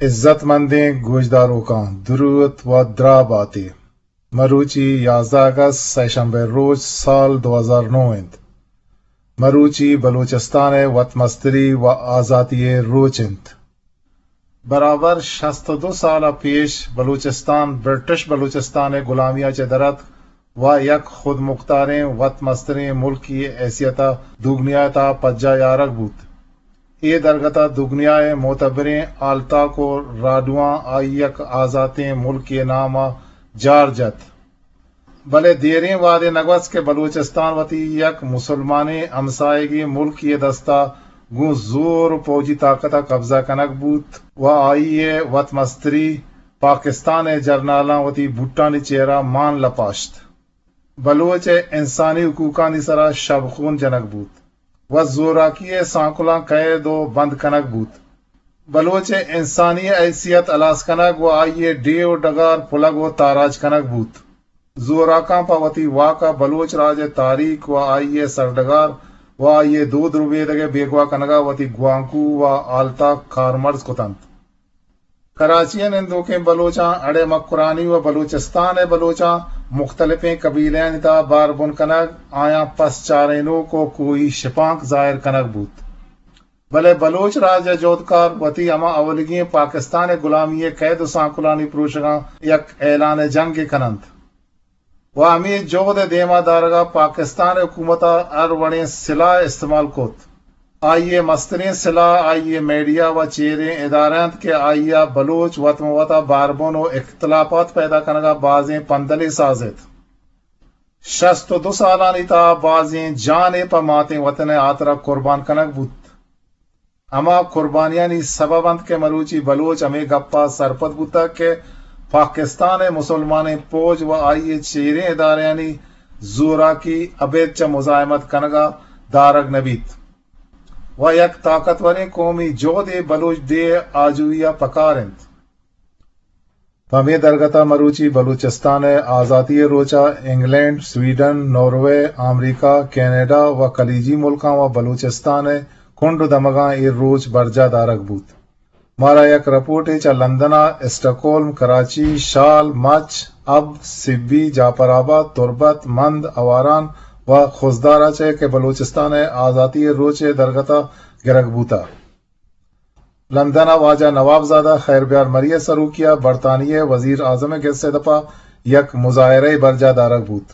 عزت مندیں گوشداروکاں، دروت و دراہ باتے۔ مروچی یازدہ اگست، سئے شنبہ روچ، سال دو ہزار نو انت۔ مروچی بلوچستان ء وت مستری و آزاتی ء روچ انت۔ برابر شست و دو سال ء پیش بلوچستان برٹش بلوچستان ء گلامی ء چہ در اتک و یک خودمختاریں وت مستریں ملکی حیثیت ء دگنیا ء تہا پجاہ یارگ بوت۔ اے درگت ء دگنیا ء معتبریں ہالتاک و راڈواں آئی یک آزاتیں ملکے نام ء جار جت۔ بلے دیریں وہدے نہ گوست کہ بلوچستان وتی یک مسلمانیں ہمساہگیں ملکے ء دست ء گوں زور و پوجی طاقت ء قبضہ کنگ بوت و آئی ء وت مستری پاکستان ء جرنالاں وتی بوٹانی چیرا مان لپاشت۔ بلوچ ء انسانی حقوقانی سرا شبخون جنگ بوت و زوراکی ء سانکلاں قید و بند کنگ بوت۔ بلوچ ء انسانی حیثیت ہلاس کنگ و آئی ء ڈیھ و ڈگار پلگ و تاراج کنگ بوت۔ زوراکاں پہ وتی واک ء بلوچ راج ء تاریخ و آئی ء سرڈگار و آئی ء دود ربیدگ ء بیگواہ کنگ ء وتی گوانکو و ہالتاک کارمرز کت انت۔ کراچی ء نندوکیں بلوچاں اڑے مکرانی و بلوچستان ء بلوچاں مختلفیں قبیلہانی تہا بار بن کنگ، آیاں پس چارینوک و کوہی شپانک ظاہر کنگ بوت۔ بلے بلوچ راج ء جہدکار وتی ہما اولیگیں پاکستان ء گلامی ء قید و سانکلانی پروشگاں یک اعلان جنگے کن انت و ہمے جہد ء دیما دارگ ء پاکستان ء حکومت ء ہر وڑیں سلاہ استعمال کت۔ آئی ء مستریں سلاہ آئی ء میڈیا و چیریں ادارہ انت کہ آئی ء بلوچ وت مہ وت ء باربن و اختلافات پیدا کنگ ء بازیں پندلے سازت۔ شست و دو سالانی تہا بازیں جانے پہ ماتیں وطن ء ہاترا قربان کنگ بوت۔ ہما قربانیانی سبب انت کہ مروچی بلوچ ہمے گپا سرپد بوتگ کہ پاکستان ء مسلمانیں پوج و آئی ء چیریں ادارہانی زوراکی ابید چہ مزاحمت کنگا دارگ نہ بیت و یک طاقتوریں قومی جہدے بلوچ ڈیھ ء آجوئی ء پکار انت۔ پہ ہمے درگت ء مروچی بلوچستان ء آزاتی ء روچ ء انگلینڈ، سویڈن، ناروے، آمریکہ، کینیڈا و خلیجی ملکاں و بلوچستان ء کنڈ و دمگاں اے روچ برجاہ دارگ بوت۔ مارا یک رپورٹے چہ لندن ء اسٹکہولم، کراچی، شال، مچ، اب، سبی، جعفر آباد، تربت، مند، آواران و خضدار ء چہ کہ بلوچستان ء آزاتی ء روچ ء درگت ء گرگ بوتگ۔ لندن ء واجہ نواب زادہ خیر بیار مری ء سروکی ء برطانیہ ء وزیر اعظم ء گس ء دپ ء یک مظاہرہ ء برجاہ دارگ بوت۔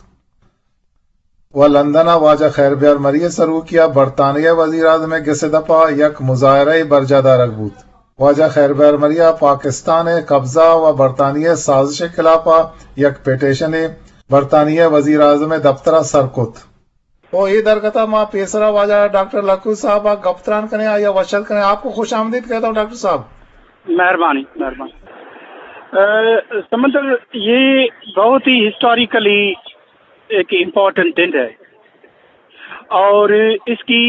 و لندن ء واجہ خیر بیار مری ء سروکی ء برطانیہ ء وزیر اعظم ء گس ء دپ ء یک مظاہرہ ء برجاہ دارگ بوت۔ واجہ خیر بیار مری ء پاکستان ء قبضہ و برطانیہ ء سازش ء خلاف ء یک پٹیشن ء برطانیہ ء وزیر اعظم ء دفتر ء سر کت۔ او اے درگت ء ما پیسرا واجہ ڈاکٹر لکو صاحب ء گپ تران کنیں، آئی ء وش اتک کنیں۔ آپ کو خوش آمدید کہتا ہوں ڈاکٹر صاحب۔ مہربانی، مہربانی۔ اے، سمندر، یہ بہت ہی ہسٹوریکلی ایک امپورٹنٹ دن ہے اور اس کی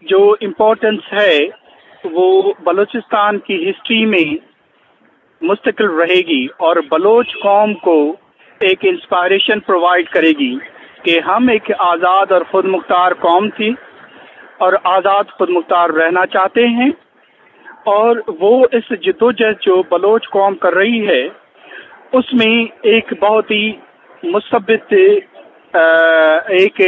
جو امپورٹنس ہے وہ بلوچستان کی ہسٹری میں مستقل رہے گی اور بلوچ قوم کو ایک انسپائریشن پرووائیڈ کرے گی کہ ہم ایک آزاد اور خود مختار قوم تھی اور آزاد خود مختار رہنا چاہتے ہیں اور وہ اس جدوجہد جو بلوچ قوم کر رہی ہے اس میں ایک بہت ہی مثبت ایک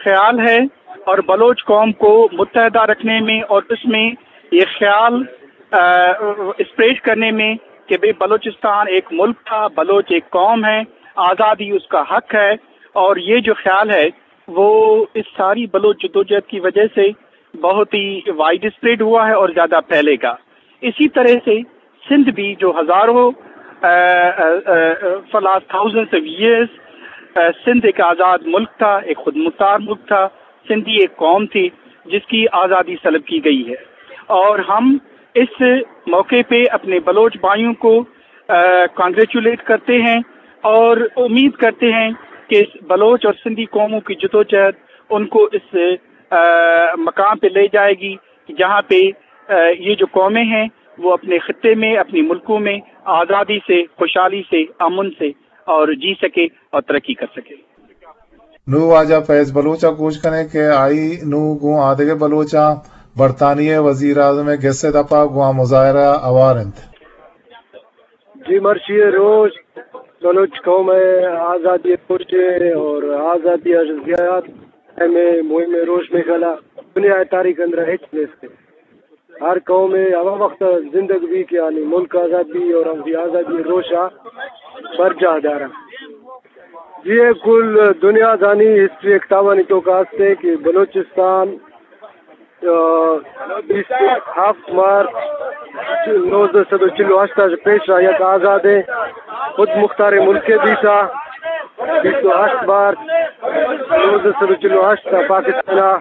خیال ہے اور بلوچ قوم کو متحدہ رکھنے میں اور اس میں یہ خیال اسپریڈ کرنے میں کہ بھئی بلوچستان ایک ملک تھا، بلوچ ایک قوم ہے، آزادی اس کا حق ہے اور یہ جو خیال ہے وہ اس ساری بلوچ جدوجہد کی وجہ سے بہت ہی وائڈ اسپریڈ ہوا ہے اور زیادہ پھیلے گا۔ اسی طرح سے سندھ بھی جو ہزاروں فار لاسٹ تھاؤزنڈز آف ایئرز سندھ ایک آزاد ملک تھا، ایک خود مختار ملک تھا، سندھی ایک قوم تھی جس کی آزادی سلب کی گئی ہے اور ہم اس موقع پہ اپنے بلوچ بھائیوں کو کانگریچولیٹ کرتے ہیں اور امید کرتے ہیں کہ اس بلوچ اور سندھی قوموں کی جدوجہد ان کو اس مقام پہ لے جائے گی جہاں پہ یہ جو قومیں ہیں وہ اپنے خطے میں، اپنی ملکوں میں آزادی سے، خوشحالی سے، امن سے اور جی سکے اور ترقی کر سکے۔ نوں واجہ فیض بلوچ ء گوش کنیں کہ آئی نوں گوں آدگہ بلوچاں برطانیہ ء وزیر اعظم ء گس ء دپ ء گوں آ مظاہرہ ء ہوار انت۔ جی، مرچی ءِ روچ بلوچ قوم ءِ آزادی ءِ روچ ءِ اور آزادی ءِ زیات اہم ءِ مہم ءِ روچ میخلا دنیا ءِ تاریخ ءِ اندر ہچ نیست۔ ہر قوم ءِ ہما وخت زندگ بی کہ آنی ملک آزاد بی اور ہم آزادی ءِ روچ ءَ برجاہ دارا۔ جی، اے کل دنیا زانی ہسٹری ءِ کتابانی توکا ہستے کہ بلوچستان، آ، بیست ہفت مارچ نوزدہ سد و چل و ہشت ءَ پیش ءَ یک آزادیں خود مختاریں ملکے بیتا۔ بیست و ہشت مارچ نوزدہ سد و چل و ہشت ءَ پاکستان ءَ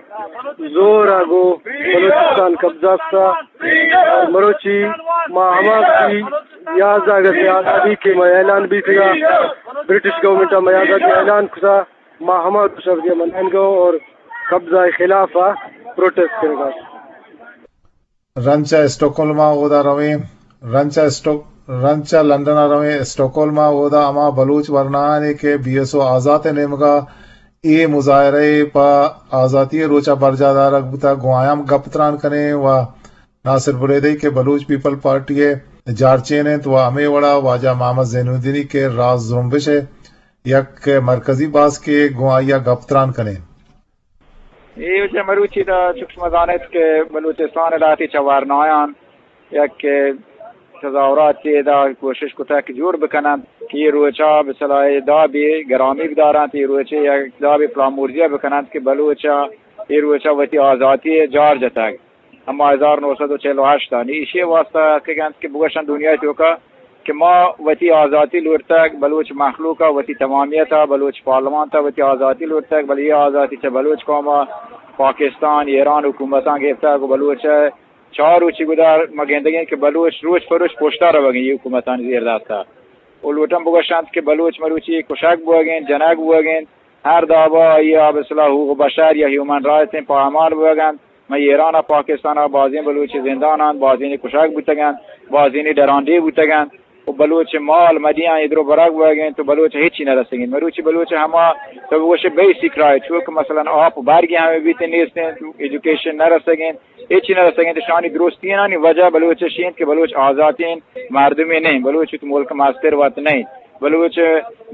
زور ءَ گوں بلوچستان قبضہ کتا۔ مروچی ما ہما وتی یازدہ اگست ءِ آزادی کہ ما اعلان بیتگا، برٹش گورنمنٹ ءَ ما آزادی اعلان کتا، ما ہما روچ ءَ منائینگا اور قبضہ ءِ خلاف ءَ پروٹیسٹ کنگا۔ رنچ ءَ اسٹاکہولم ءَ اودا رویں، رنچ ءَ اسٹاک-، رنچ ءَ لندن ءَ رویں، اسٹاکہولم ءَ اودا ہما بلوچ ورنایانے کہ بی ایس او آزات ءِ نیمگا اے مظاہرہ ءَ پہ آزاتی ءِ روچ ءَ برجاہ دارگ بوتگ، گوں آیاں گپ تران کنیں و ناصر بلیدئی کہ بلوچ پیپل پارٹی ءِ جارچین انت و ہمے وڑا واجہ محمد زین الدینی کہ راز زرمبش ءِ یک مرکزی باسکے، گوں آئی ءَ گپ تران کنیں۔ اے وجہ مروچی دا چک شما زانت کہ بلوچستان ءِ لہتے چہ ورنایاں یک تظاہراتے دا کوشش کتگ کہ جوڑ بکننت کہ اے روچا بسلاہ دابے گرامی بدارنت، اے روچے یک دابے پلامورزی بکننت کہ بلوچا اے روچا وتی آزاتی جار جتگ۔ ہما ہزار نو سد و چل و ہشت آنی ایشی واسطہ اتکگ انت کہ بگوشن دنیا توکا کہ ما وتی آزاتی لوٹتگ، بلوچ مخلوق ءَ وتی تمامیت ءَ، بلوچ پارلیمنت ءَ وتی آزاتی لوٹتگ، بلے اے آزاتی چہ بلوچ قوم ءَ پاکستان، ایران حکومتاں گپتگ و بلوچ ءَ چار روچی گدار ما گندگیں کہ بلوچ روچ پہ روچ پشتا روگیں اے حکومتانی زیر دست ءَ۔ و لوٹن بگوشنت کہ بلوچ مروچی کشگ بوگیں، جنگ بوگیں، ہر دابا آئی ءَ بسلاہ حقوق بشر یا ہیومن رائٹس پامال بوگنت۔ من ایران ءَ پاکستان ءَ بازیں بلوچ زندان انت، بازینی کشگ بوتگ انت، بازینی ڈرانڈی بوتگ انت و بلوچ مال مدیاں ادرو برگ بوگ انت و بلوچ ہچی نہ رسگ انت۔ مروچی بلوچ ہما تو بگوش بیسک رائٹ، چو کہ مثلاً آپ و برگی ہمے بیت نیست انت، ایجوکیشن نہ رسگ انت، ہچی نہ رسگ انت۔ شانی درستینانی وجہ بلوچ اشی انت کہ بلوچ آزاتیں مردمی نہیں، بلوچ وت ملک مستر وت نہیں۔ بلوچ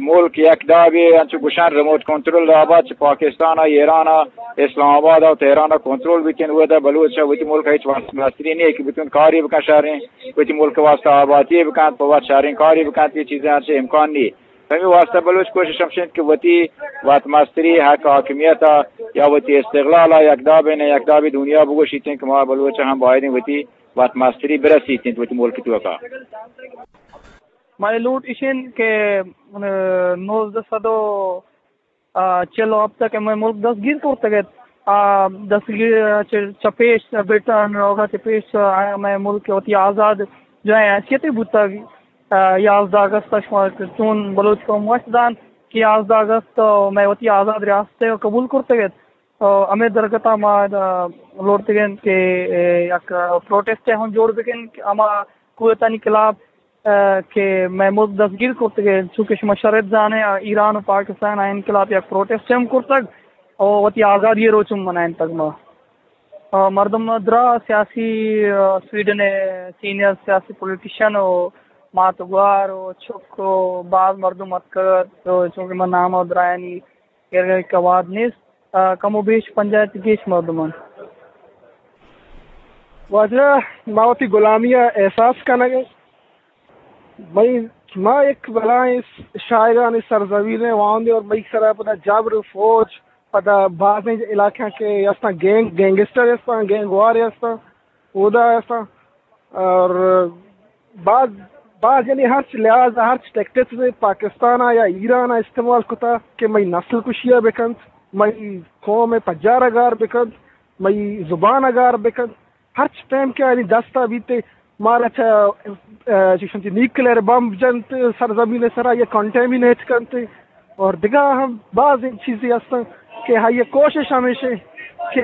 ملک یک دابے انچو گوشان ریموٹ کنٹرول دابا چہ پاکستان ءَ، ایران ءَ، اسلام آباد ءَ و تہران ءَ کنٹرول بیتین، اودا بلوچ ءَ وتی ملک ءَ ہچ واسطہ مستری نیست کہ بتون کاری بکن شہریں، وتی ملک ءِ واسطہ آباتی بکن، پہ وت شہریں کاری بکن، یہ چیزیں انچو امکان نیست۔ ہمے واسطہ بلوچ کوشش ہمشین کہ وتی وت مستری حق حاکمیت ءَ یا وتی استقلال ءَ یک دابے نہ یک دابے دنیا بگوشیتیں کہ ما بلوچ ہم بایدیں وتی وت مستری برسیتیں وتی ملک توکا۔ منی لوٹ ایش انت کہ، آ، نوزدہ سد و، آ، چل و ہپت ءَ کہ مئے ملک دستگیر کرتگ ات، آ، دستگیر چہ، چہ پیش برٹن روگ ءَ چہ پیش آیاں مئے ملک وتی آزاد جاہیں حیثیتے بوتگ۔ آ، یازدہ اگست ءَ شما چون بلوچ قوم وش دان کہ یازدہ اگست ءَ مئے وتی آزاد ریاست ءَ قبول کرتگ ات۔ آ، ہمے درگت ءَ ما، آ، لوٹتگ انت کہ، اے، یک پروٹیسٹ ءَ ہم جوڑ بکن کہ ہما قوتانی خلاف، آ، کہ مئے ملک دستگیر کرتگ انت، چونکہ شما شرط زانے، آ، ایران و پاکستان آئین خلاف یک پروٹیسٹ ہم کرتگ و وتی آزادی روچ ہم منائینتگ ما۔ آ، مردم درا سیاسی، آ، سویڈن ءِ سینئر سیاسی پولیٹیشن و مات گوار و چک و باز مردم اتکگ ات، چونکہ من نام و درایانی ایر گئے کہ واد نیست، آ، کم و بیش پنجاہ ءَ گیش مردم انت۔ واجہ، ما وتی غلامی ءَ احساس کنگ ءَ۔ مئی، ما یک بلائیں شاعرانی سرزمین ءَ واہندے اور مئی سرا پدا جبر فوج، پدا بازیں علاقہ کہ استاں گینگ، گینگسٹر استاں، گینگ وار استاں، اودا استاں۔ اور باز، باز یعنی ہرچ لحاظ، ہرچ ٹیکٹکس پاکستان ءَ یا ایران ءَ استعمال کتا کہ مئی نسل کشی ءَ بکنت، مئی قوم ءِ پجار ءَ گار بکنت، مئی زبان ءَ گار بکنت۔ ہرچ پیم کہ آنی دست ءَ بیت، مارا چہ، آ، چیشن چہ نیوکلیئر بمب جنت سرزمین ءِ سرا یا کنٹامینیٹ کنت۔ اور دگہ ہم باز چیزے ہستن کہ آئی کوشش ہمیش انت کہ،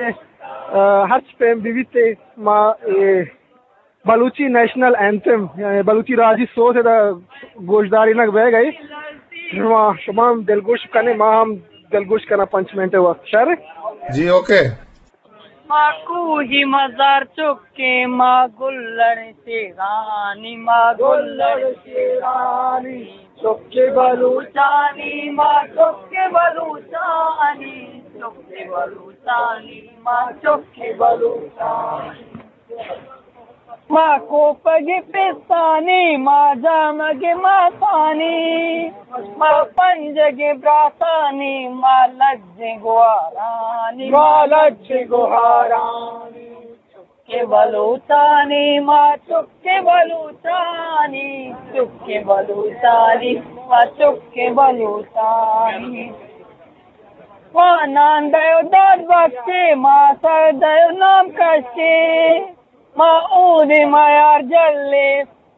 آ، ہرچ پیم بہ بیت ما اے بلوچی نیشنل اینتھم، یعنی بلوچی راجی سوز ءَ دا گوشدارینگ بیگ ءَ۔ شما، شما ہم دلگوش کنے، ما ہم دلگوش کناں پنچ منٹ ءِ وقت۔ شر؟ جی، اوکے۔ ما کوہی مزار چکیں، ما گلڑ شیرانی، ما گلڑ شیرانی، چکے بلوچانی، ما چکے بلوچانی، چکے بلوچانی، ما چکے بلوچانی۔ ما کوپگی پستانی، ما جامگی ماتانی، ما پنجگی براتانی، ما لج گوارانی، ما لج گوارانی۔ چکے بلوچانی، ما چکے بلوچانی، چکے بلوچانی، ما چکے بلوچانی۔ ما نان دئیو داد بخشے، ما سر دئیو نام کشے، ما اودے ما یار جلے،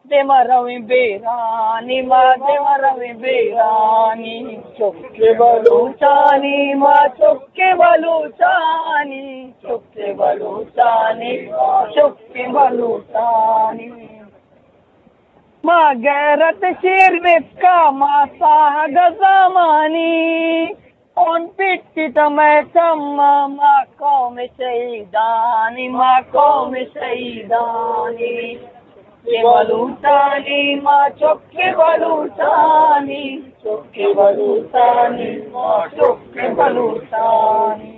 دیما رویں بیرانی، ما دیما رویں بیرانی۔ چکے بلوچانی، ما چکے بلوچانی، چکے بلوچانی، ما چکے بلوچانی۔ ما غیرت شیر بتکا، ما ساہگ زامانی، خون پیٹی تو مئے چم، ما قوم شہیدانی، ما قوم شہیدانی۔ چکے بلوچانی، ما چکے بلوچانی، چکے بلوچانی، ما چکے بلوچانی۔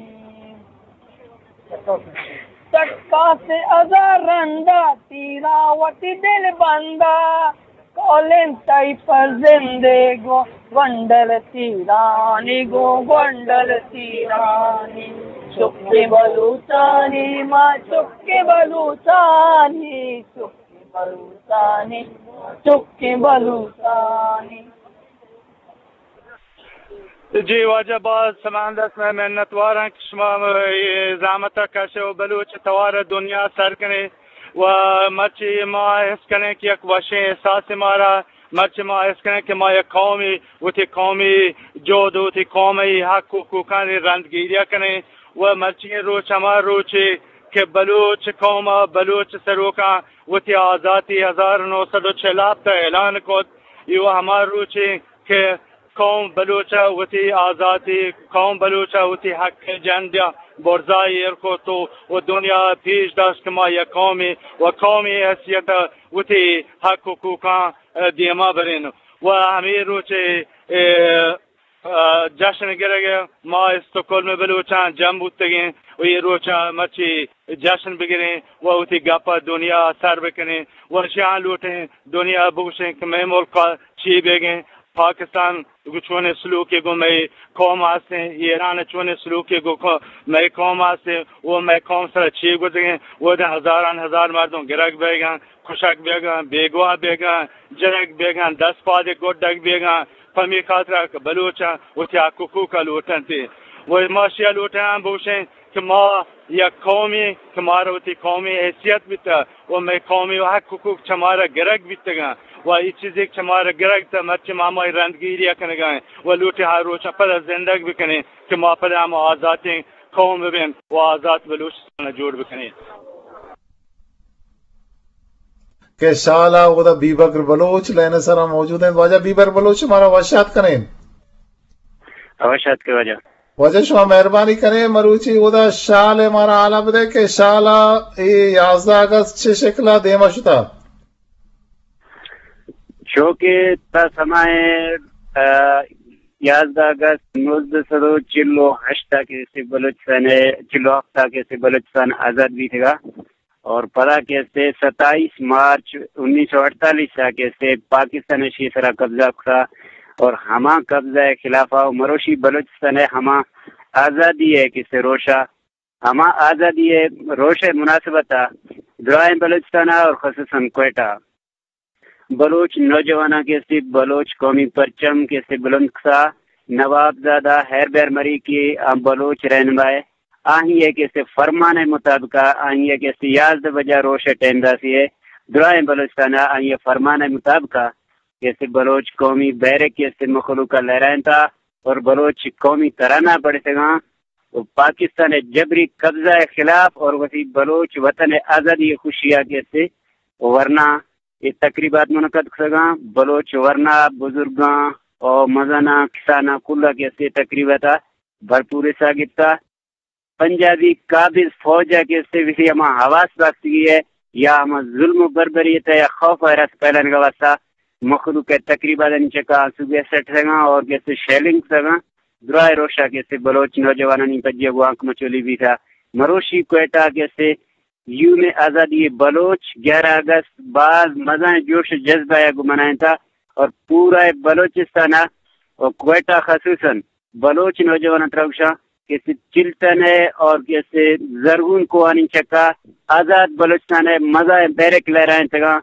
چکاس ہزار رندا، تیرا وتی دل بندا، کولیں تئی پر زندے گوں گونڈل تیرانی، گوں گونڈل تیرانی۔ چکے بلوچانی، ما چکے بلوچانی، چکے بلوچانی، چکے بلوچانی۔ جی واجہ، باز سماندس میں منتواراں کہ شما اے زحمت کش و بلوچ توار دنیا سر کنے و مرچی ما حس کنیں کہ یک وشیں احساس مارا، مرچی ما حس کنیں کہ ما یک قومی، وتی قومی جہد، وتی قومی حق و حقوقانی رندگیریا کنیں و مرچی روچ ہما روچے کہ بلوچ قوم، بلوچ سروکاں وتی آزاتی ہزار نو سد و چل ہفت اعلان کت، ایو ہما روچے کہ قوم بلوچ ء وتی آزاتی، قوم بلوچ ء وتی حق ء جنڈ ء برزا ایر کت و، و دنیا ء پیش داشت کہ ما یک قومے و قومی حیثیت ء وتی حق حقوقاں، ء، دیما برین۔ و ہمے روچ ء، ء، ء، جشن گرگ ء ما استکہولم بلوچاں جم بوتگیں و اے روچ ء مرچی جشن بگریں و وتی گپ ء دنیا ء سر بکنیں و اشیاں لوٹیں دنیا ء بگوشیں کہ مئے ملک ء چی بیگیں۔ پاکستان گوں چونیں سلوکے گوں مئے قوم ء ہستیں، ایران ء چونیں سلوکے گوں کو-، مئے قوم ء ہستیں، و مئے قوم سرا چی گوزگیں، و داں ہزاران ہزار مردم گرگ بیگاں، کشگ بیگاں، بیگواہ بیگاں، جنگ بیگاں، دست پادے گڈگ بیگاں، پمی خاطرا کہ بلوچاں وتی حق حقوق ء لوٹنت۔ و ما اشیا لوٹاں بوشیں کہ ما یک قومے کہ مارا وتی قومی حیثیت بیتہ و مئے قومی حق حقوق چہ مارا گرگ بیتگاں و اے چیزے کہ چہ مارا گرگ تہ مرچی ما ہمائی رندگیری ء کنگا ایں و لوٹیں ہر روچ ء پدا زندگ بکنیں کہ ما پدا ہم آزاتیں قوم ببیں و آزات بلوچستان ء جوڑ بکنیں۔ کہ شال ء اودا بیبکر بلوچ لائن ء سرا موجود انت۔ واجہ بیبکر بلوچ مارا وش آتک کنیں۔ وش آتک واجہ۔ واجہ شما مہربانی کنیں، مروچی اودا شال ء مارا حالا بدے کہ شال ء اے یازدہ اگست چہ شکل ء دیما شتا؟ چو کہ تا سمائے، ء، یازدہ اگست نوزدہ سد و چل و ہشت ء کہ سے بلوچستان ء، چل و ہفت ء کہ سے بلوچستان آزاد بیتگا۔ اور پدا کہ سے ستائیس مارچ انیس سو اڑتالیس ء کہ سے پاکستان ء شی سرا قبضہ کتا اور ہما قبضہ ء خلاف ء مروشی بلوچستان ء ہما آزادی ء کہ سے روشا، ہما آزادی ء روش ء مناسبت ء درائیں بلوچستان ء اور خصوصاً کوئٹہ بلوچ نوجواناں کہ استی بلوچ قومی پرچم کہ استی بلند کسا، نواب زادہ ہیر بیر مری کہ آ بلوچ رہنما ء آہی ء کہ استی فرمان ء مطابق ء آہی ء کہ استی یازدہ بجہ روش ء ٹائم داسی ء درائیں بلوچستان ء آہی ء فرمان ء مطابق ء کہ استی بلوچ قومی بیرک کہ استی مخلوق ء لہرائینتا اور بلوچ قومی ترانہ پڑھتگاں و پاکستان ء جبری قبضہ ء خلاف اور وتی بلوچ وطن ء آزادی ء خوشی ء کہ استی ورنا اے تقریبات منعقد کتگاں۔ بلوچ ورنا، بزرگاں و مزناں، کساناں کل ء کہ استی تقریبات ء بھرپور حصہ گپتا۔ پنجابی قابض فوج ءَ کہ استے وتی ہما حواس باختگی ءَ یا ہما ظلم و بربریت ءَ یا خوف و ہراس پیلانگ ءِ واسطہ مخلوق ءِ تقریبات آنی چکا آنسو گیس سٹگاں اور کہ استے شیلنگ کتگاں۔ درائیں روشا کہ استے بلوچ نوجوانانی پجی ءَ گوں آنک مچولی بیتا۔ مروشی کوئٹہ کہ استے یوم آزادی بلوچ گیارہ اگست باز مزائیں جوش و جذبہ ءَ گوں منائینتا اور پورا بلوچستان ءَ اور کوئٹہ خصوصاً بلوچ نوجواناں ترا گوشاں کہ استے چلتن ءَ اور کہ استے زرگون کوہانی چکا آزاد بلوچستان ءِ مزائیں بیرک لہرائینتگاں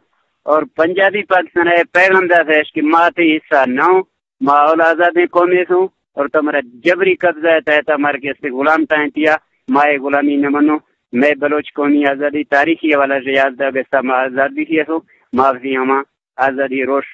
اور پنجابی پاکستان ءَ پیغام داتش کہ ما تئی حصہ نہ اوں، ما اول آزادیں قومے سوں اور تو مارا جبری قبضہ ءِ تحت ءَ مارا کہ استے غلام ٹائینتیا، ما اے غلامی نہ منوں۔ مئے بلوچ قومی آزادی تاریخی حوالہ سے یازدہ اگست ءَ ما آزاد بیتی اسوں، ما وتی ہما آزادی روش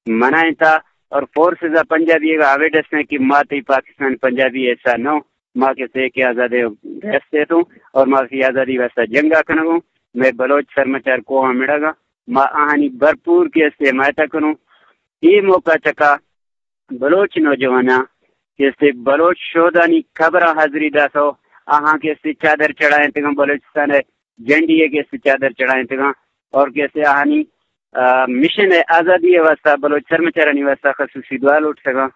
منائینتا اور فورسز ءَ پنجابی ءَ اویڈ استیں کہ ما تئی پاکستان پنجابی ءِ حصہ نہ اوں، ما کہ استے کہ آزادیں ریاست اتوں اور ما وتی آزادی واسطہ جنگ ءَ کنگوں۔ مئے بلوچ سرمچار کوہاں مڑگاں، ما آہانی بھرپور کہ استے حمایت ءَ کنوں۔ اے موقع چکا بلوچ نوجواناں کہ استے بلوچ شہدانی قبراں حاضری داتو، آہاں کہ استے چادر چڑھائینتگاں، بلوچستان ءِ جھنڈی ءَ کہ استے چادر چڑھائینتگاں اور کہ استے آہانی، آ، مشن ءِ آزادی ءِ واسطہ بلوچ سرمچارانی واسطہ خصوصی دعا لوٹتگاں۔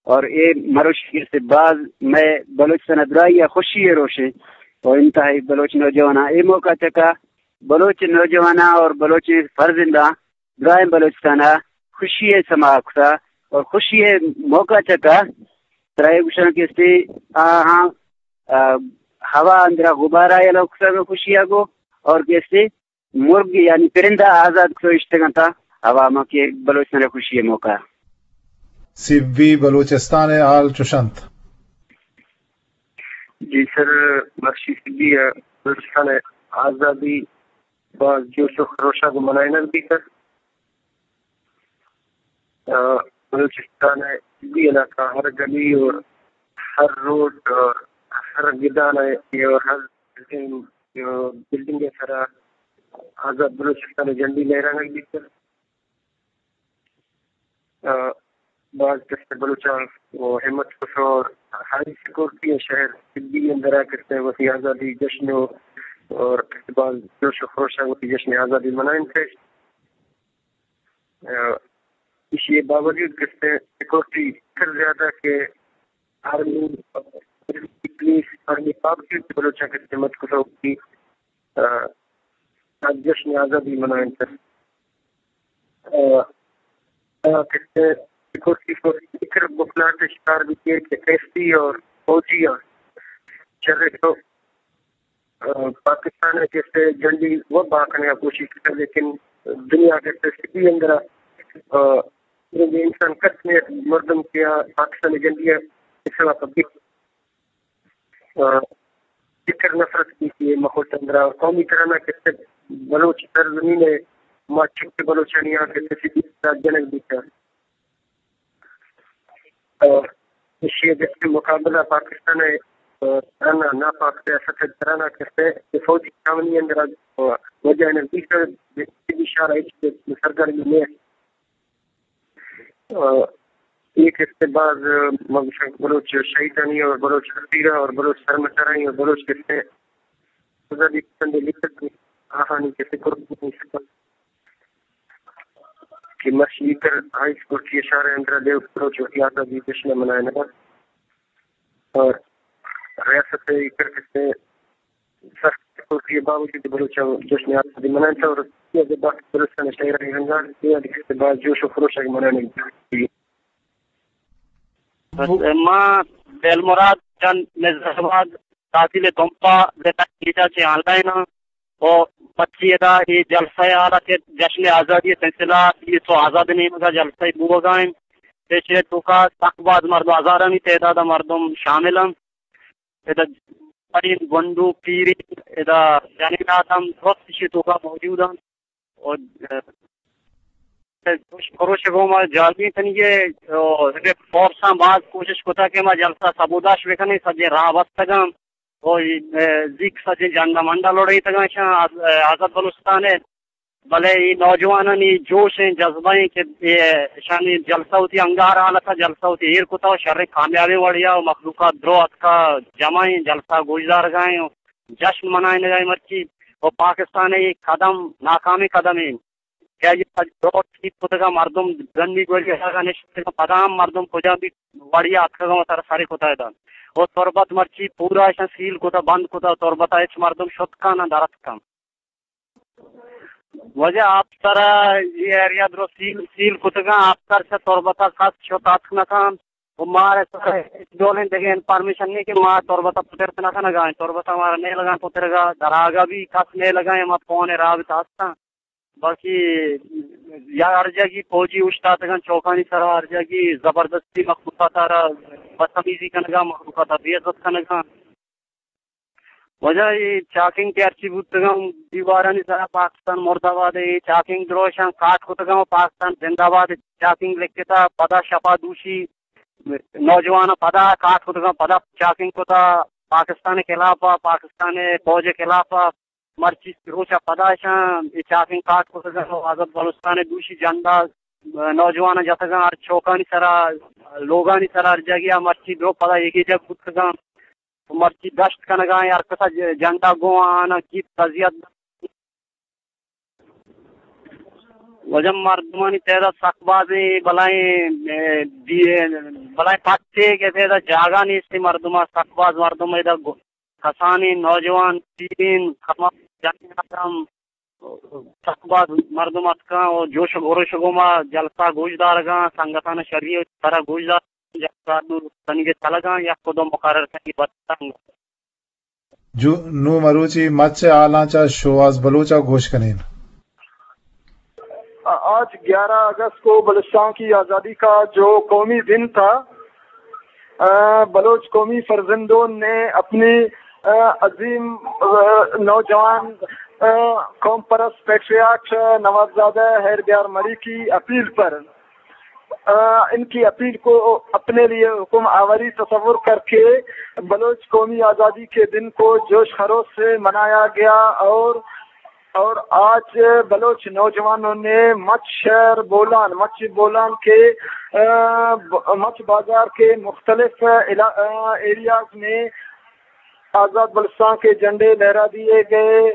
اور اے مروشی کہ استے باز مئے بلوچستان ءَ دراہی ءَ خوشی ءِ روشے اور انتہائی بلوچ نوجواناں اے موقع چکا بلوچ نوجواناں اور بلوچ فرزنداں درائیں بلوچستان ءَ خوشی ءِ سما کتا اور خوشی ءِ موقع چکا ترا اے گوشاں کہ استے آہاں، آ، ہوا اندرا غبارہ یلو کتا خوشی ءَ گو اور کہ استے مرگ یعنی پرندہ آزاد کتو اشتگاں تا عوام کہ بلوچستان ءِ خوشی ءِ موقع۔ سبی بلوچستان ءِ حال چوش انت۔ جی سر، مرشی سبی ءَ بلوچستان ءِ آزادی باز جوش و خروشا گوں منائینگ بیتگ۔ آ، بلوچستان ءِ سبی علاقہ ہر گلی اور ہر روڈ اور ہر گدان ءَ اور ہر بلڈنگ ءِ سرا آزاد بلوچستان ءِ جھنڈی لہرانگ بیتگ۔ آ، باز کسے بلوچاں و ہمت کتو اور ہائی سیکورٹی ءِ شہر سبی اندرا کسے وتی آزادی جشن و اور باز جوش و خروشا وتی جشن آزادی منائینتش۔ آ، ایشی باوجود کسے سیکورٹی کر زیادہ کہ آرمی، پولیس، آرمی باوجود بلوچاں کسے ہمت کتو وتی، آ، آ جشن آزادی منائینتگ۔ آ، آ، کسے سیکورٹی فورس فکر بکلاٹ شکار بیتی کہ ایف پی اور فوجی آ شر تو، آ، پاکستان ءِ کسے جھنڈی و باکنگ ءِ کوشش کرتا، لیکن دنیا کسے سبی اندرا، آ، انسان کس نے مردم کیا پاکستان جھنڈی ءِ خلاف آ، فکر نفرت کی کہ مخلوق اندرا قومی ترانہ کسے بلوچ سرزمین ءِ ما چک بلوچانی آ کسے سبی جنگ بیتا۔ آ، ایشی ءِ جسٹ مقابلہ پاکستان ءِ، آ، ترانہ ناپاک سیاست ءِ ترانہ کسے کہ فوجی چھاونی اندرا، آ، وجہ نزدیک ءَ اشارہ ہچ سرگرمی نیست۔ آ، اے کسے باز، آ، ما گوشاں بلوچ شہیدانی اور بلوچ اسیرا اور بلوچ سرمچارانی اور بلوچ کسے آزادی پسند لیکھک آہانی کسے قربانی سپر کہ مرشی کر ہائی سیکورٹی اشارہ اندرا دیو بلوچ وتی آزادی جشن منائینگا اور ریاست کر کسے سخت سیکورٹی باوجود بلوچاں جشن آزادی منائینتا اور یہ باقی بلوچستان شہر رنگان یہ باز جوش و خروش منائینگ۔ بس ما دلمراد جان نظر آباد تحصیل تمپا ضلع کیچا چہ آنلاین ہاں۔ و مرچی ادا اے جلسہ ءِ حال ءَ کہ جشن آزادی ءِ سلسلہ ءَ تو آزاد نیمگ ءَ جلسہ بوگا انت۔ ایشی ءِ توکا سک باز مردم، ہزارانی تعداد ءَ مردم شامل انت۔ ادا پرین گونڈو پیرین ادا جنین آدم درست ایشی ءِ توکا موجود انت۔ و، ء، کوش، کوشش گوما جالبی کنگے، و، فورساں باز کوشش کتا کہ ما جلسہ سبوداش بکنیں، سجے راہ بستگاں۔ و، ء، زیک سجے جنڈا منڈا لوڑیتگاں، ایشاں آز-، ء، آزاد بلوچستان ءِ بلے اے نوجوانانی جوش ایں، جذبہ ایں کہ اے اشانی جلسہ وتی انگار حالت ءَ جلسہ وتی ایر کتا و شریں کامیابیں وڑیا و مخلوقات درو اتکا جمع ایں، جلسہ گوشدارگا ایں و جشن منائینگا ایں مرچی۔ و پاکستان ءِ اے قدم ناکامیں قدم ایں کہ آئی ءَ درو ٹھیک کتگا، مردم زنی گولی ءَ نشتگا، پدا ہم مردم کجا بھی وڑیا اتکگا و سر سر کتا ادا۔ و تربت مرچی پورا اشان سیل کتا، بند کتا، تربت ءَ ہچ مردم شت کن نہ درت کن۔ واجہ آپسر ءَ اے ایریا درو سیل، سیل کتگاں، آپسر چہ تربت ءَ کس شت اتک نہ کنت و مارا سر ءَ ہچ ڈولیں دگہ انفارمیشن نیں کہ ما تربت ءَ پترت نہ کنگا ایں، تربت ءَ مارا نیلگا ایں پترگا، دراگا بھی کس نیلگا ایں، ما فون ءِ رابطہ ہستاں، باقی یا ہر جاگی فوجی اوشتاتگاں چوکانی سرا، ہر جاگی زبردستی مخلوقات ءَ را بدتمیزی کنگا، مخلوقات ءَ بے عزت کنگا۔ واجہ اے چاکنگ کہ ہرچی بوتگاں، دیوارانی سرا پاکستان مردہ باد، اے چاکنگ دروشاں کاٹ کتگاں و پاکستان زندہ باد چاکنگ لکھتا، پدا شپا دوشی نوجواناں پدا کاٹ کتگاں، پدا چاکنگ کتا پاکستان ءِ خلاف ءَ، پاکستان ءِ فوج ءِ خلاف ءَ۔ مرچی روچا پدا اشاں اے چاکنگ کاٹ کتگاں و آزاد بلوچستان ءِ دوشی جھنڈا نوجواناں جتگاں ہر چوکانی سرا، لوگانی سرا، ہر جاگہ ءَ۔ مرچی درو پدا یکے جاہ بوتگاں۔ مرچی دشت کنگا ایں، ہر کسا ج-، جھنڈا گوں آناں گیت تزیت۔ واجہ مردمانی تعداد سک باز ایں، بلائیں، اے، دی-، بلائیں پٹے کہ تعداد جاگہ نیست، مردم سک باز مردم ادا گ-، کسانیں نوجوان، پیریں، کماش، جنین آدم، سک باز مردم اتکاں و جوش و خروش گوما جلسہ گوش دارگاں، سنگتاں شری سرا گوش دار، جلسہ نو تنگے چلگاں، یک و دو مقرر کنگی بتنگ۔ جو نوں مروچی مچ ءِ حالاں چہ شوہاز بلوچ ءَ گوش کنیں۔ آج گیارہ اگست کو بلوچستان کی آزادی کا جو قومی دن تھا، آ، بلوچ قومی فرزندوں نے اپنی، آ، عظیم، آ، نوجوان، آ، قوم پرست پیٹریاٹ نوابزادہ ہیر بیار مری کی اپیل پر آ، ان کی اپیل کو اپنے لیے حکم آوری تصور کر کے بلوچ قومی آزادی کے دن کو جوش خروش سے منایا گیا اور، اور آج بلوچ نوجوانوں نے مچ شہر بولان، مچ بولان کے، آ، ب-، مچ بازار کے مختلف علا-، آ، ایریاز میں آزاد بلوچستان کے جھنڈے لہرا دیے گئے۔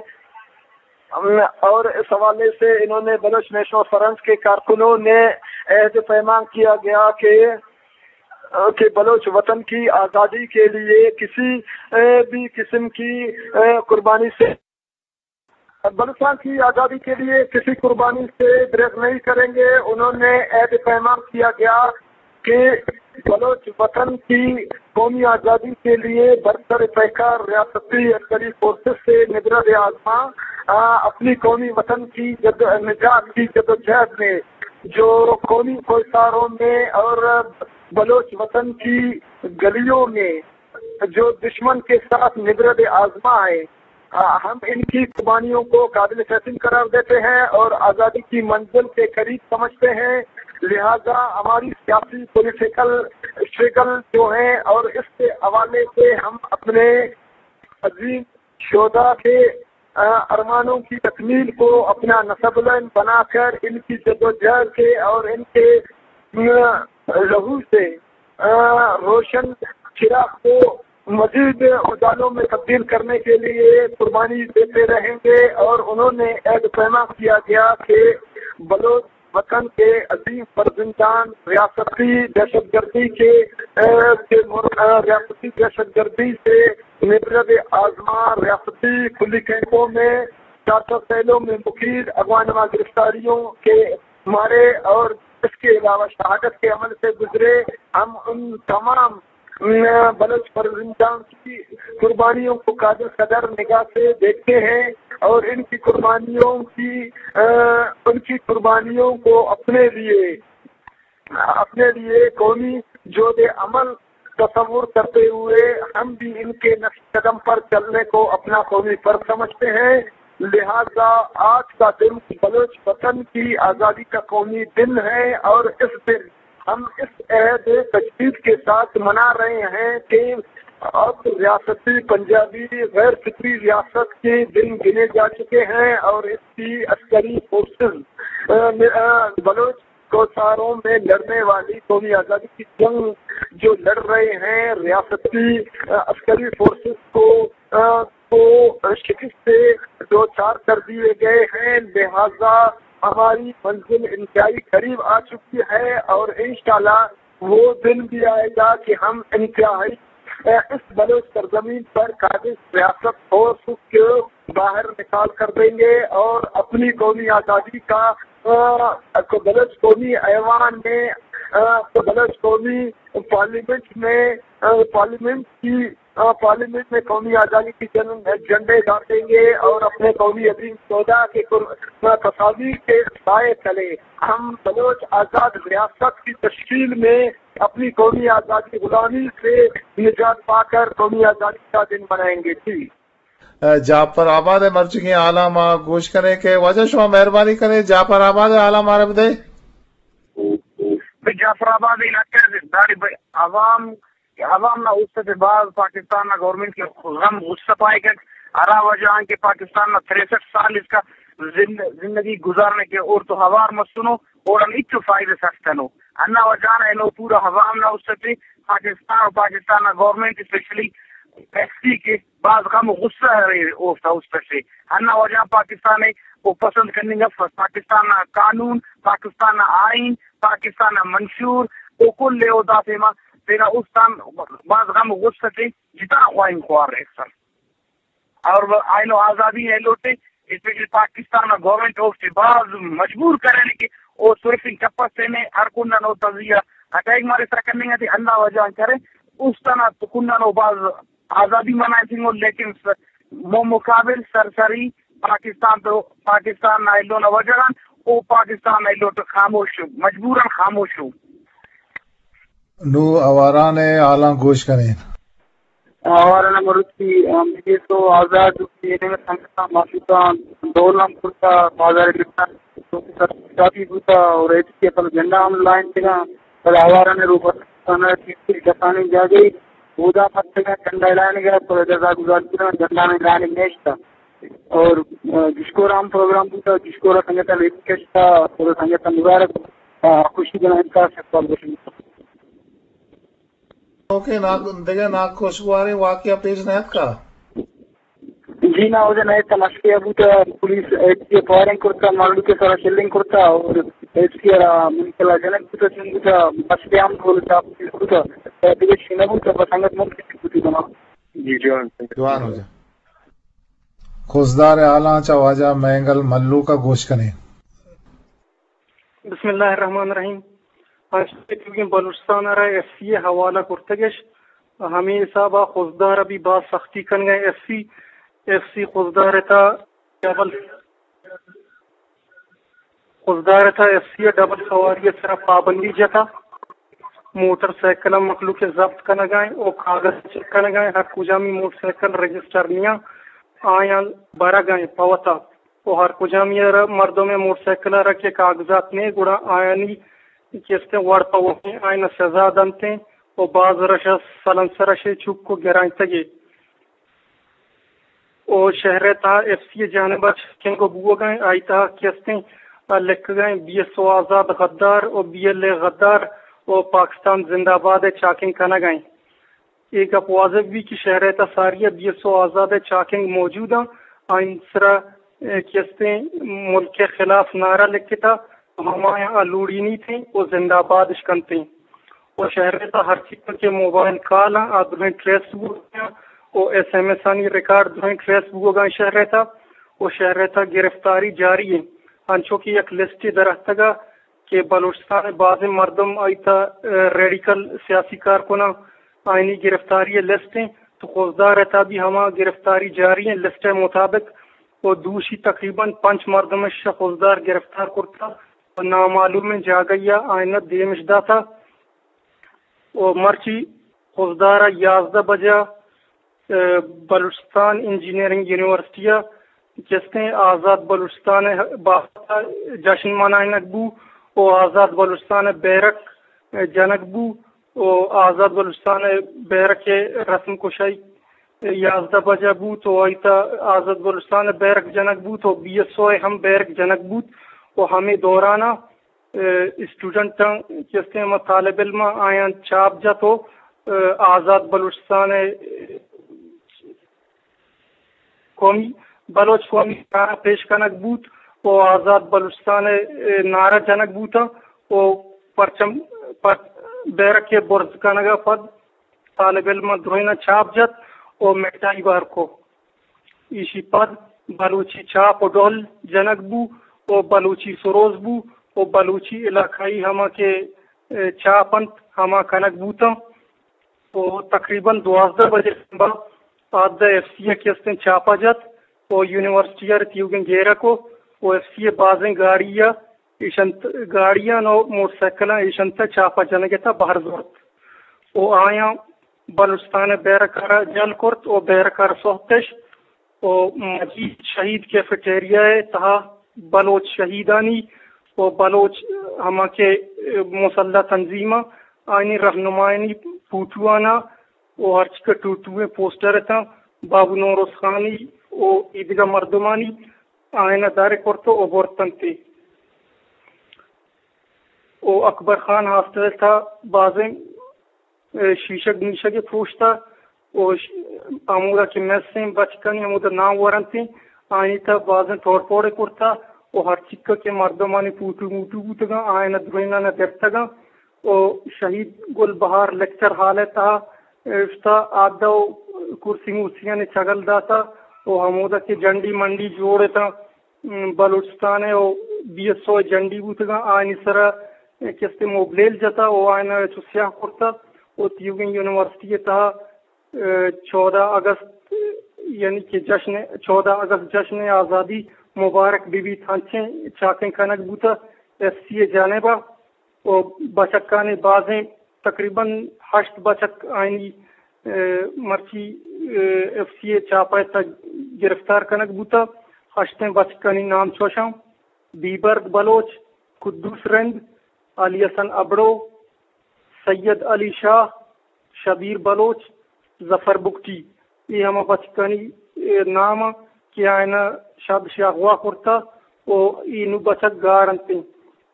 اور اس حوالے سے انہوں نے بلوچ نیشنل فرنٹ کے کارکنوں نے عہد پیمان کیا گیا کہ، کہ بلوچ وطن کی آزادی کے لیے کسی، اے، بھی قسم کی، اے، قربانی سے، بلوچستان کی آزادی کے لیے کسی قربانی سے گریز نہیں کریں گے۔ انہوں نے عہد پیمان کیا گیا کہ بلوچ وطن کی قومی آزادی کے لیے برسر پیکار ریاستی عسکری فورسز سے نبرد آزما، آ، اپنی قومی وطن کی جد نجات کی جدوجہد میں جو قومی کوہساروں میں اور بلوچ وطن کی گلیوں میں جو دشمن کے ساتھ نبرد آزما ہے، آ، ہم ان کی قربانیوں کو قابل تحسین قرار دیتے ہیں اور آزادی کی منزل کے قریب سمجھتے ہیں۔ لہذا ہماری سیاسی پولیٹیکل اسٹرگل جو ہے اور اس کے حوالے سے ہم اپنے عظیم شہدا کے، آ، ارمانوں کی تکمیل کو اپنا نصب العین بنا کر ان کی جدوجہد کے اور ان کے، آ، لہو سے، آ، روشن چراغ کو مزید اجالوں میں تبدیل کرنے کے لیے قربانی دیتے رہیں گے۔ اور انہوں نے عہد پیما کیا گیا کہ بلوچ وطن کے عظیم فرزندان ریاستی دہشت گردی کے، آ، کے مر-، آ، ریاستی دہشت گردی سے نبرد آزما، ریاستی کھلی کیمپوں میں چار سو سیلوں میں مقید اغوا نما گرفتاریوں کے مارے اور اس کے علاوہ شہادت کے عمل سے گزرے۔ ہم ان تمام، آ، بلوچ فرزندان کی قربانیوں کو قابل قدر نگاہ سے دیکھتے ہیں اور ان کی قربانیوں کی، آ، ان کی قربانیوں کو اپنے لیے اپنے لیے قومی جود عمل تصور کرتے ہوئے ہم بھی ان کے نقش قدم پر چلنے کو اپنا قومی فرض سمجھتے ہیں۔ لہذا آج کا دن بلوچ وطن کی آزادی کا قومی دن ہے اور اس دن ہم اس عہد تجدید کے ساتھ منا رہے ہیں کہ اب ریاستی پنجابی غیر فطری ریاست کے دن گنے جا چکے ہیں اور اس کی عسکری فورسز، آ، نے، آ، بلوچ کوساروں میں لڑنے والی قومی آزادی کی جنگ جو لڑ رہے ہیں، ریاستی، آ، عسکری فورسز کو، آ، کو شکست سے دو چار کر دیے گئے ہیں، لہذا ہماری منزل انتہائی قریب آ چکی ہے اور انشاءاللہ وہ دن بھی آئے گا کہ ہم انتہائی، آ، اس بلوچ سرزمین پر قابض ریاست فورس کو باہر نکال کر دیں گے اور اپنی قومی آزادی کا، آ، بلوچ قومی ایوان میں، آ، بلوچ قومی پارلیمنٹ میں، آ، پارلیمنٹ کی، آ، پارلیمنٹ میں قومی آزادی کی جن-، جھنڈے گاڑیں گے اور اپنے قومی عظیم سودا کے قر-، آ، تصاویر کے سائے تلے ہم بلوچ آزاد ریاست کی تشکیل میں اپنی قومی آزادی غلامی سے نجات پا کر قومی آزادی کا دن منائیں گے۔ جی۔ ء، جعفر آباد ء مرچیگیں حالاں ما گوش کنیں کہ واجہ شما مہربانی کنیں جعفر آباد ء حالاں مارا بدئے۔ بہ جعفر آباد علاقہ ء داڑے بہ عوام، عوام نا اوست ء باز پاکستان نا گورنمنٹ کے غم غصہ پائے گا۔ ہرا وجہ آں کہ پاکستان نا تریسٹھ سال اس کا زند-، زندگی گزارنے کے اور تو ہوار مسنو اور ہم ہچو فائدہ سستنو۔ ہندا وجہ نا اینو پورا عوام نا اوست ء پاکستان و پاکستان نا گورنمنٹ اسپیشلی ایف سی کے باز غم و غصہ ارے اوفتا است اسے۔ ہندا وجہ پاکستان ء او پسند کننگ افس۔ پاکستان نا قانون، پاکستان نا آئین، پاکستان نا منشور، او کل ء او دافیما تینا است آن باز غم و غصہ تے جتا خواہنگ خوار ایسر۔ اور اینو آزادی ایلوٹے، اسپیشلی پاکستان نا گورنمنٹ اوفتے باز مجبور کرینے کہ او سرفنگ کپس تینے ہر کنڈان او تجزیہ اٹیک مارے سر کننگ تے ہندا وجہ کرے۔ است آن کنڈان او باز آزادی منائینگ، لیکن س-، مو مقابل سرسری پاکستان تو پاکستان نا ایلو نا وجہ غان او پاکستان نا ایلو تو خاموش، مجبوراً خاموش ہو۔ نو آواران ء حالاں گوش کنیں۔ آواران ء مرچی، آ، بی ایس او آزاد، سنگتاں، مخلوقاں، ڈول ہم کرتا، بازار گرتا، کافی بوتا اور ایف سی پل جھنڈا ہم لائن تگا، بل آواران ء روپا کسانی جاگے، اودا مستگا جھنڈا لائن گیا، پر جزا گزار کرا، جھنڈا میں لائن نیشتا۔ اور، آ، گشکور ہم پروگرام بوتا، گشکور سنگت لیٹ کشتا، اور سنگت مبارک، آ، خوشی بنا انکار شکوال بشن۔ اوکے، نا-، دگہ ناکوشگواریں واقعہ پیش نیاتکا؟ جی نا، اودا نئے تمشکے بوتا، پولیس ایف سی فائرنگ کرتا، مالو کے سارا شیلنگ کرتا، اور ایف سی را منکلا جنک بوتا، چون بوتا، بس پہ ہم ڈول چاپ بوتا، دگہ شنہ بوتا، بس انگت من کسی بوتی بنا۔ جی جوان۔ جوان ہو جا۔ خضدار حالاں چا واجہ مینگل ملوک ء گوش کنیں۔ بسم اللہ الرحمن الرحیم۔ انچو کہ بلوچستان ء را ایف سی ء حوالہ کرتگش، ہمے حساب ء خضدار ء بھی باز سختی کنگ ء ایف سی، ایف سی خضدار ء تھا ڈبل، خضدار ء تھا ایف سی ء ڈبل سواری ء سرا پابندی جتا۔ موٹر سائیکل ء مخلوق ء ضبط کنگ ء او کاغذ چیک کنگ ء، ہر کجامی موٹر سائیکل رجسٹر نیاں آیاں برگ ء پہ وتا۔ و ہر کجامی ء را مردم ء موٹر سائیکل ء را کہ کاغذات نے، گڑا آیانی کہ استیں وڑ پہ وڑیں آیان ء سزا دنتیں و باز رش ء سلنسر ء شے چک و گرائینتگے۔ و شہر ء تہا ایف سی ء جانب ء چیکنگ و بوگ ء آئی تہا کہ استیں لکھگ ء بی ایس او آزاد غدار و بی ایل اے غدار و پاکستان زندہ باد ء چاکنگ کنگ ء۔ اے گپ واضح بی کہ شہر ء تہا ساری ء بی ایس او آزاد ء چاکنگ موجود آں، آئین سرا، اے، کہ استیں ملک ء خلاف نعرہ لکھتا، ہمایاں آ لوڑینیت و زندہ باد اش کنت۔ و شہر ء تہا ہرچی کہ موبائل کال آں، آ درہیں ٹریس بوگاں و ایس ایم ایس آنی ریکارڈ درہیں ٹریس بوگاں شہر ء تہا و شہر ء تہا گرفتاری جاری انت۔ انچو کہ یک لسٹے درہتگا کہ بلوچستان ء بازیں مردم آئی تھا، ء، ریڈیکل سیاسی کارکناں آئینی گرفتاری ء لسٹ انت تو خضدار ء تھا بھی ہما گرفتاری جاری انت۔ لسٹ ء مطابق و دوشی تقریباً پنچ مردم ء شہ خضدار گرفتار کرتا و نامعلومیں جاگہی ء آئین ء دیمش داتا۔ و مرچی خضدار ء یازدہ بجہ، ء، بلوچستان انجینئرنگ یونیورسٹی ء کہ استیں آزاد بلوچستان ء بابت ء جشن منائینگ بو و آزاد بلوچستان ء بیرک جنگ بو و آزاد بلوچستان ءِ بیرک ءِ رسم کشائی یازدہ بجہ بوت و آئی تہ آزاد بلوچستان ءِ بیرک جنگ بوت و بی ایس او ءِ ہم بیرک جنگ بوت و ہمے دوران ءَ، اے، اسٹوڈنٹاں کہ استیں ہما طالب علماں آیاں چاپ جت و، اے، آزاد بلوچستان ءِ قومی، بلوچ قومی نعرہ پیش کنگ بوت و آزاد بلوچستان ءِ نعرہ جنگ بوتاں و پرچم، پر-، بیرک ءِ برز کنگ ءَ پد طالب علماں درائیناں چاپ جت و مٹائی بار کو۔ ایشی پد بلوچی چاپ و ڈول جنگ بو و بلوچی سروز بو و بلوچی علاقائی ہما کہ، اے، چاپ انت، ہما کنگ بوتاں۔ و تقریباً دوازدہ بجے شنبہ پاد ایف سی ءَ کہ استیں چاپا جت و یونیورسٹی ءَ تیوگیں گیرک و، و ایف سی ءِ بازیں گاڑی ءَ ایشنت، گاڑیاں و موٹر سائیکلاں ایشنت ءَ چاپا جنگ ءِ تہ بہر زرت و آیاں بلوچستان ءِ بیرک ءَ را جل کرت و بیرک ءَ را سہتش و مجید شہید کیفیٹیریا ءِ تہا بلوچ شہیدانی و بلوچ ہما کہ مسلح تنظیماں آیانی رہنمایانی پوٹواناں و ہرچی کہ ٹوٹوئیں پوسٹر اتاں، بابو نوروز خانی و ایدگہ مردمانی آیانا در کرت و برتنت و اکبر خان ہاسٹل ءِ تہا بازیں، اے، شیشگ میشگ پروشتا و ش-، ہمودا کہ میسیں بچکانی ہمودا نام ورنتیں، آیانی تہا بازیں توڑ پوڑے کرتا و ہر چکا کہ مردمانی پوٹو موٹو بوتگاں، آیانا درائینانا گپتگاں و شہید گل بہار لیکچر ہال ءِ تہا، اے، اشتا آدا و کرسی مرسیانی چگل داتا و ہمودا کہ جنڈی منڈی جوڑ اتاں، م، بلوچستان ءِ و بی ایس او ءِ جنڈی بوتگاں، آیانی سرا کستے موبلیل جتا و آیانا چو سیاہ کرتا و تیوگیں یونیورسٹی ءِ تہا، اے، چودہ اگست، یعنی کہ جشن، چودہ اگست جشن آزادی مبارک بہ بیت، ہنچیں چاکیں کنگ بوتا ایف سی ءِ جانب ءَ۔ و بچکانی بازیں تقریباً ہشت بچک آیانی، اے، مرچی، اے، ایف سی ءِ چاپہ ءِ تہ گرفتار کنگ بوتہ۔ ہشتیں بچکانی نام چوشاں: بیبرگ بلوچ، قدوس رند، علی حسن ابڑو، سید علی شاہ، شبیر بلوچ، ظفر بگٹی، اے ہما بچکانی، اے، نام آں کہ آیانا شادشی اغوا کرتہ و اے نوں بچک گار انت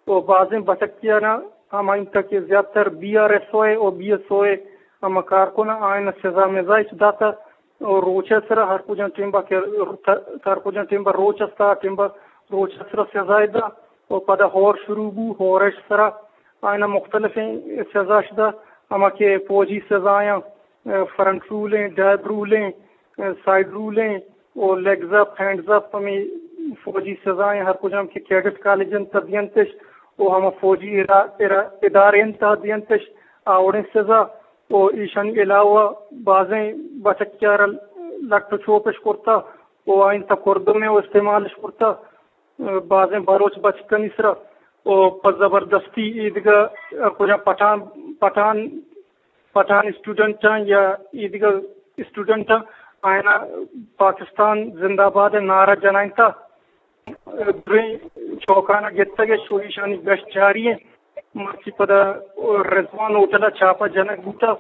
و بازیں بچکیانا ہما انت کہ زیادتر بی آر ایس او ءِ و بی ایس او ءِ ہما کارکن آں، آیانا سزا مزا اچ داتہ و روچ ءِ سرا ہر کجام ٹیمبا کہ ہر کجام ٹیمبا روچ استا، ٹیمبا روچ ءِ سرا سزا ادا و پدا ہور شروع بو، ہور ءِ سرا آیانا مختلفیں سزاش دا، ہما کہ فوجی سزایاں، اے، فرنٹ رولیں، ڈیب رولیں، اے، سائیڈ رولیں، او لیگز اپ، ہینڈز اپ، ہمے فوجی سزائیں، ہر کجام کہ کیڈٹ کالج انت، دیئنتش، او ہما فوجی ارا-، ارا-، ادارے انت، دیئنتش، آ وڑیں سزا، او ایشانی علاوہ بازیں بچکیارا لٹ و چوپش کرتا، او آئین تا کردمے و استعمالش کرتا۔ بازیں بلوچ بچکانی سرا و پہ زبردستی ایدگہ کجا پٹھان، پٹھان، پٹھان اسٹوڈنٹاں یا ایدگہ اسٹوڈنٹاں آیانا پاکستان زندہ باد ءِ نعرہ جنائینتا۔ دریں چوکانا گپتگ ءُ شو ایشانی گشت جاری ایں۔ مرچی پدا رضوان ہوٹل ءَ چاپہ جنگ بوتا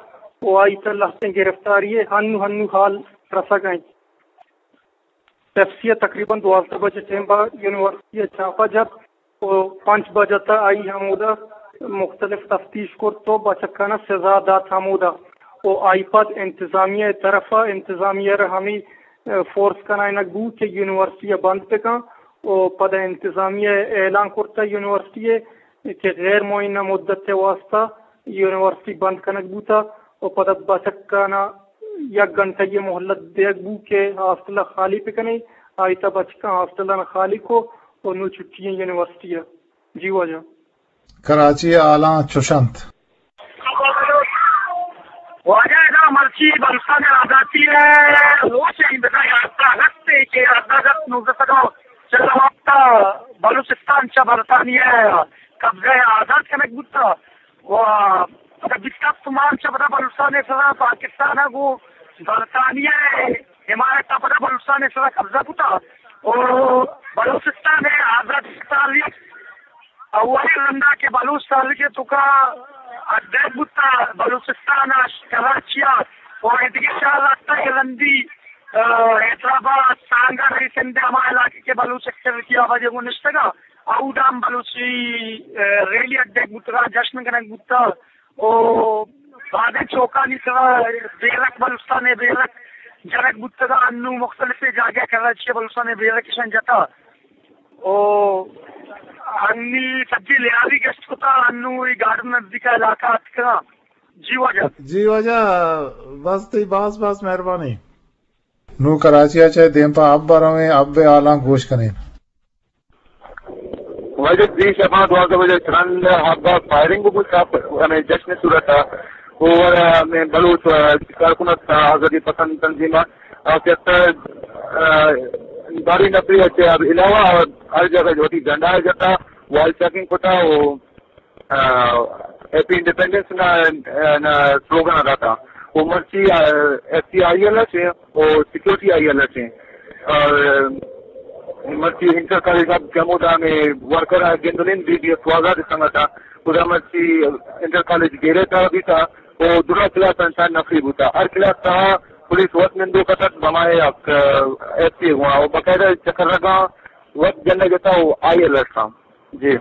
و آئی تہ لہتیں گرفتاری ءَ ہنو ہنو حال رسگ ءَ انت۔ پیپسی ءَ تقریباً دوازدہ بجہ ٹیم ءَ یونیورسٹی ءَ چاپہ جت و پنچ بجہ تہ آئی ہمودا مختلف تفتیش کرت و بچکانا سزا دات ہمودا و آئی پد انتظامیہ ءِ طرف ءَ انتظامیہ را ہمے، ءَ، فورس کنائینگ بوت کہ یونیورسٹی ءَ بند بکن و پدا انتظامیہ ءَ اعلان کرتہ یونیورسٹی ءَ کہ غیر معینہ مدت ءِ واسطہ یونیورسٹی بند کنگ بوتہ و پدا بچکانا یک گھنٹہ ءِ مہلت دیگ بو کہ ہاسٹل ءَ خالی بکنی۔ آئی تہ بچکاں ہاسٹل ءَ خالی کو و نوں چھٹی ایں یونیورسٹی ءَ۔ جی واجہ۔ کراچی ءِ حالاں چش انت۔ واجہ ادا مرچی بلوچستان ءِ آزاتی ءِ روچ ءِ بزاں یازدہ اگست ءِ کہ یازدہ اگست نوزدہ سد و چل ءُ ہپت ءَ بلوچستان چہ برطانیہ ءِ قبضہ ءَ آزاد کنگ بوتہ۔ و پدا بیست ہپت مارچ ءَ پدا بلوچستان ءِ سرا پاکستان ءَ گوں برطانیہ ءِ حمایت ءَ پدا بلوچستان ءِ سرا قبضہ بوتہ و بلوچستان ءِ آزادی ءِ تاریخ اولی رندا کہ بلوچ تاریخ ءِ توکا اڈ بوتا بلوچستان ءَ کراچی ءَ و ایدگہ شہر ءَ تا کہ رندی، آ، حیدرآباد، سانگھڑ، اے سندھ ءِ ہما علاقہ کہ بلوچ ایکٹیویٹی ءَ وجہ گوں نشتگ ءَ، اودا ہم بلوچی، آ، ریلی اڈ بوتگ ءَ، جشن کنگ بوتا و بازیں چوکانی سرا بیرک، بلوچستان ءِ بیرک جنگ بوتگ ءَ، انو مختلف جاگہ کراچی ءَ بلوچستان ءِ بیرک اشان جتا۔ او انی سجی لیاری گشت کتا، انو ای گارڈن نزدیک علاقہ اتکا۔ جی واجہ۔ جی واجہ، بس تئی باز باز مہربانی۔ نوں کراچی ءَ چہ دیم پہ حب ءَ رویں، حب ءِ حالاں گوش کنیں۔ واجہ، دیشپا دوازدہ بجہ ترند حب ءَ فائرنگ بوتا، ہمیں جشن صورت ءَ۔ او ہمیں بلوچ، آ، کارکن ات، آزادی پسند تنظیم ءَ، آ، کہ ات، آ، باری نفری ءَ چہ علاوہ ہر جگہ جو وتی جھنڈا ءَ جتا، وال چاکنگ کتا و، آ، ہیپی انڈیپینڈنس نا، نا سلوگان داتا۔ و مرچی، آ، ایف سی آئی ایل ایس و سیکورٹی آئی ایل ایس۔ اور مرچی انٹر کالج حب کہ ہمودا ہمیں ورکر ءَ گندنین بی بی ایف و آزاد سنگت ءَ، خدا مرچی انٹر کالج گیرے تہا بیتا و درا کلاس انسان نفری بوتا۔ ہر کلاس تہا پولیس وت نندوک اتک، بمائے ایف سی گوا و باقاعدہ چکر رگا وت جنگ جتا و آئی ایل ایس تھا۔ جی۔